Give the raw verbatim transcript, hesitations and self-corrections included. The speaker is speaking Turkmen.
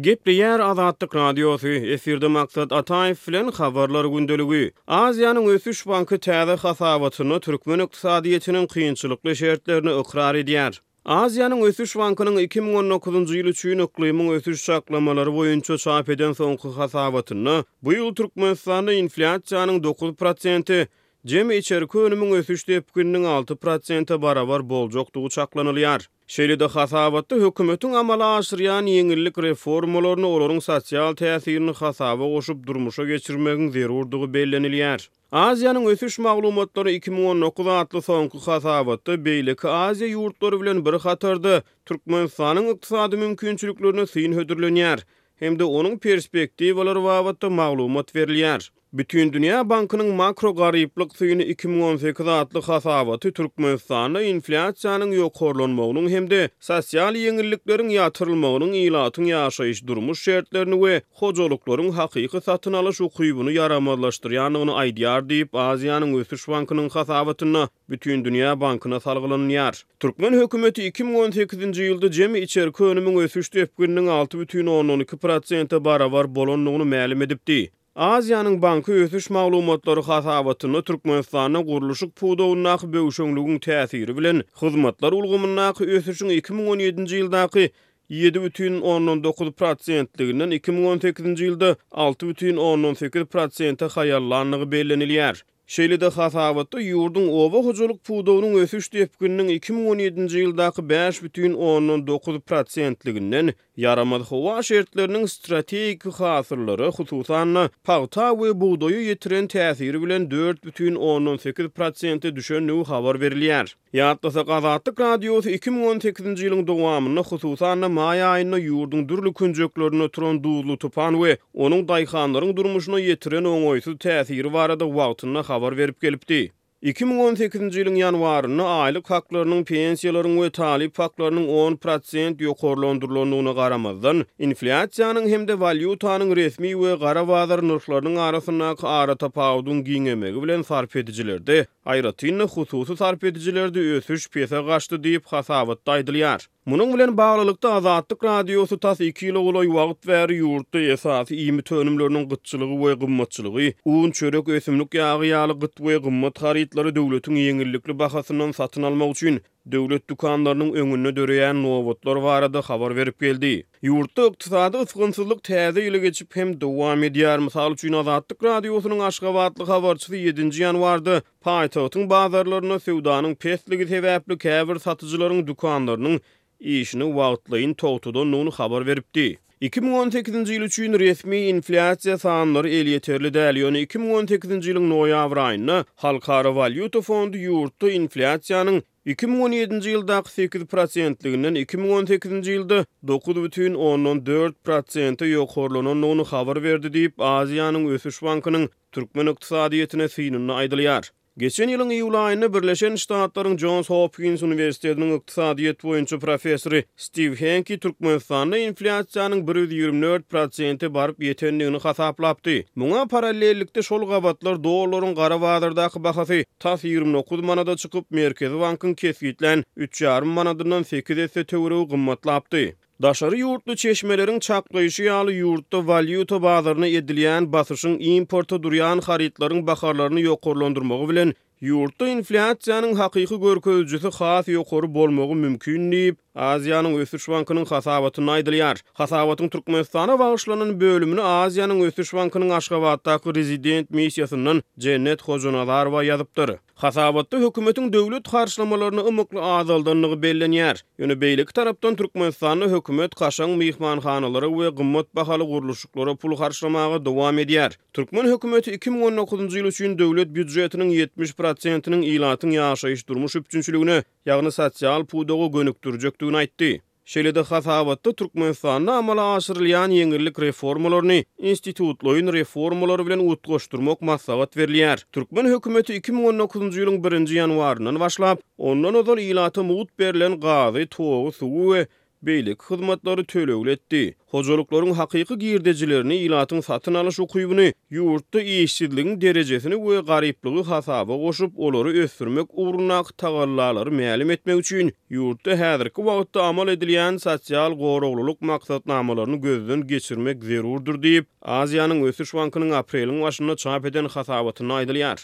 Gepleýär Azatlyk Radiosy, efirde Maksat Ataýew bilen Habarlar gündeligi. Aziýanyň Ösüş banky täze hasabatynda türkmen ykdysadyýetiniň kynçylykly şertlerini ykrar edýär. Aziýanyň Ösüş bankynyň iki müň on dokuzynjy ýyl üçin yklymyň ösüş çaklamalary boýunça çap eden soňky hasabatynda bu ýyl Türkmenistanda inflýasiýanyň dokuz prosenti, jemi içerki önümiň ösüş depgininiň alty prosente barabar boljakdygy çaklanylýar. Şeýle-de hasabatda hökümetiň amala aşyrýan ýeňillik reformalaryny olaryň sosial täsirini hasaba goşup durmuşa geçirmegiň zerurdygy bellenilýär. Aziýanyň ösüş maglumatlary iki müň on dokuz atly soňky hasabatda beýleki Aziýa ýurtlary bilen bir hatarda Türkmenistanyň ykdysady mümkinçiliklerine syn hödürlenýär hem-de onuň perspektiwalary babatda maglumat berilýär. Bütindünýä bankynyň makro garyplyk syny iki müň on sekiz atly hasabaty Türkmenistanda inflýasiýanyň ýokarlanmagynyň hem-de sosial ýeňillikleriň ýatyrylmagynyň ilatyň ýaşaýyş-durmuş şertlerini we hojalyklaryň hakyky satyn alyş ukybyny ýaramazlaşdyrýandygyny aýdýar diýip, Aziýanyň Ösüş bankynyň hasabatynda Bütindünýä bankyna salgylanylýar. Türkmen hökümeti iki müň on sekizinji ýylda jemi içerki önümiň ösüş depgininiň alty bütin ondan iki prosente barabar bolandygyny mälim edipdi. Aziýanyň banky ösüş maglumatlary hasabatynda Türkmenistanda gurluşyk pudagyndaky böwşeňligiň täsiri bilen hyzmatlar ulgamyndaky ösüşiň iki müň on ýedinji ýyldaky ýedi bütin ondan dokuz prosentliginden iki müň on sekizinji ýylda alty bütin ondan sekiz prosente haýallandygy bellenilýär. Şeýle-de hasabatda ýurduň oba hojalyk pudagynyň ösüş depgininiň iki müň on ýedinji ýyldaky bäş bütin ondan dokuz prosentliginden ýaramaz howa şertleriniň strategik hasyllara, hususan-da, pagta we bugdaýa ýetiren täsiri bilen dört bütin ondan sekiz prosente düşendigi habar berilýär. Ýatlasak, Azatlyk Radiosy iki müň on sekizinji ýylyň dowamynda, hususan-da, maý aýynda ýurduň dürli künjeklerinde turan duzly tupan we onuň daýhanlaryň durmuşyna ýetiren oňaýsyz täsiri barada wagtynda habar berip gelipdi. Iki müň on sekizinji ýylyň ýanwarynda aýlyk haklarynyň, pensiýalaryň we talyp haklarynyň on prosent ýokarlandyrylandygyna garamazdan, inflýasiýanyň hem-de walýutanyň resmi we gara bazar nyrhlarynyň arasyndaky aratapawudyň giňemegi bilen sarp edijilerde, aýratyn-da hususy sarp edijilerde ösüş pese gaçdy diýip, hasabatda aýdylýar. Munuň bilen baglylykda, Azatlyk Radiosy tas iki ýyla golaý wagt bäri ýurtda esasy iýmit önümleriniň gytçylygy we gymmatçylygy, un, çörek, ösümlik ýagy ýaly gyt we gymmat harytlary döwletiň ýeňillikli bahasyndan satyn almak üçin döwlet dükanlarynyň öňünde döreýän nobatlar barada habar berip geldi. Ýurtda ykdysady ysgynsyzlyk täze ýyly geçip hem dowam edýär. Mysal üçin, Azatlyk Radiosynyň aşgabatly habarçysy ýedinji ýanwarda paýtagtyň bazarlarynda söwdanyň pesligi sebäpli käbir satyjylaryň dükanlarynyň işini wagtlaýyn togtadandygyny habar beripdi. Iki müň on sekizinji ýyl üçin resmi inflýasiýa sanlary elýeterli däl, ýöne iki müň on sekizinji ýylyň noýabr aýynda Halkara walýuta fondy ýurtda inflýasiýanyň iki müň on ýedinji ýyldaky sekiz prosentliginden iki müň on sekizinji ýylda dokuz bütin ondan dört prosente ýokarlanandygyny habar berdi diýip, Aziýanyň Ösüş bankynyň türkmen ykdysadyýetine synynda aýdylýar. Geçen ýylyň iýul aýynda Birleşen Ştatlaryň Jons Hopkins uniwersitetiniň ykdysadyýet boýunça professory Stiw Henki Türkmenistanda inflýasiýanyň bir ýüz ýigrimi dört prosente baryp ýetendigini hasaplapdy. Muňa parallellikde şol gabatlar dollaryň gara bazardaky bahasy tas ýigrimi dokuz manada çykyp, Merkezi bankyň kesgitlän üç ýarym manadyndan sekiz esse töweregi gymmatlapdy. Daşary ýurtly çeşmeleriň çaklaýşy ýaly, ýurtda walýuta bazaryna edilýän basyşyň importa durýan harytlaryň bahalaryny ýokarlandyrmagy bilen ýurtda inflýasiýanyň hakyky görkezijisi has ýokary bolmagy mümkin diýip, Aziýanyň Ösüş bankynyň hasabatynda aýdylýar. Hasabatyň Türkmenistana bagyşlanan bölümini Aziýanyň Ösüş bankynyň Aşgabatdaky rezident missiýasyndan Jennet Hojanazarowa ýazypdyr. Hasabatda hökümetiň döwlet harçlamalaryny ymykly azaldandygy bellenýär. Ýöne beýleki tarapdan Türkmenistanda hökümet kaşaň myhmanhanalara we gymmat bahaly gurluşyklara pul harçlamaga dowam edýär. Türkmen hökümeti iki müň on dokuzynjy ýyl üçin döwlet býujetiniň ýetmiş prosentiniň ilatyň ýaşaýyş-durmuş üpjünçiligine, ýagny sosial pudaga gönükdirjekdigini aýtdy. Şeýle-de hasabatda Türkmenistanda amala aşyrylýan ýeňillik reformalaryny institutlaýyn reformalary bilen utgaşdyrmak maslahat berilýär. Türkmen hökümeti iki müň on dokuzynjy ýylyň birinji ýanwaryndan başlap, ondan ozal ilata mugt berlen gazy, togy, suwy we beýleki hyzmatlary tölegli etdi. Hojalyklaryň hakyky girdejilerini, ilatyň satyn alyş ukybyny, ýurtda işsizligiň derejesini we garyplygy hasaba goşup, olary ösdürmek ugrundaky tagallalary mälim etmek üçin ýurtda häzirki wagtda amal edilýän sosial goraglylyk maksatnamalaryny gözden geçirmek zerurdyr diýip, Aziýanyň Ösüş bankynyň apreliň başynda çap eden hasabatynda aýdylýar.